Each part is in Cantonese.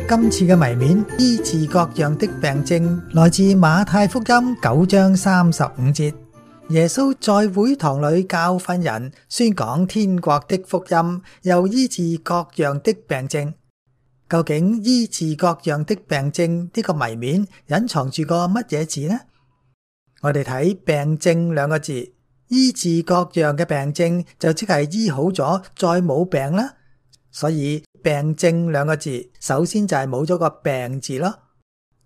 今次嘅謎面醫治各樣的病症，來自馬太福音9章35節。耶穌在會堂裏教訓人，宣講天國的福音，又醫治各樣的病症。究竟醫治各樣的病症呢個謎面隱藏住個乜嘢字呢？我哋睇病症兩個字，醫治各樣嘅病症就即係醫好咗再冇病啦。所以病症兩個字首先就係冇咗個病字咯。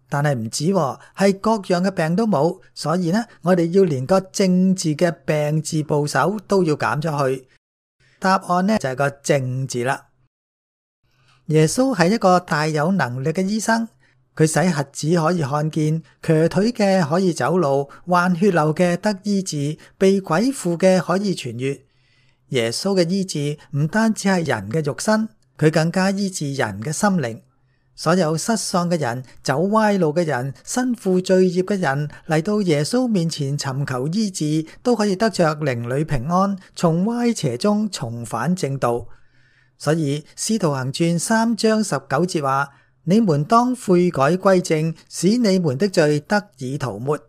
但係唔止喎，係各樣嘅病都冇，所以呢，我哋要連個症字嘅病字部首都要減咗去。答案呢就係個症字啦。耶穌係一個大有能力嘅醫生，佢使瞎子可以看見，瘸腿嘅可以走路，患血流嘅得醫治，被鬼附嘅可以痊癒。耶穌嘅醫治唔單止係人嘅肉身，佢更加醫治人嘅心靈。所有失喪嘅人、走歪路嘅人、身負罪孽嘅人嚟到耶穌面前尋求醫治，都可以得着靈裏平安，從歪邪中重返正道。所以使徒行傳3章19節話：你們當悔改歸正，使你們的罪得以塗抹。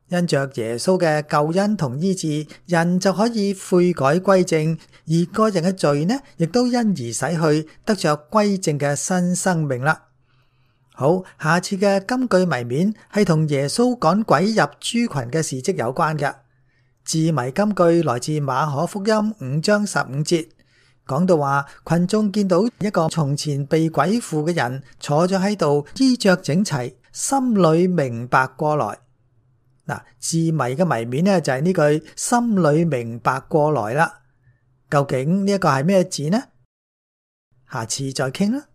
因着耶穌嘅救恩同醫治，人就可以悔改歸正，而個人嘅罪呢，亦都因而洗去，得着歸正嘅新生命啦。好，下次嘅金句謎面係同耶穌趕鬼入豬群嘅事蹟有關嘅。字謎金句來自馬可福音5章15節，講到話群眾見到一個從前被鬼附嘅人坐咗喺度，衣着整齊，心裏明白過來。嗱，字謎嘅謎面呢就係呢句心裏明白過來啦。究竟呢一個係咩字呢？下次再傾啦。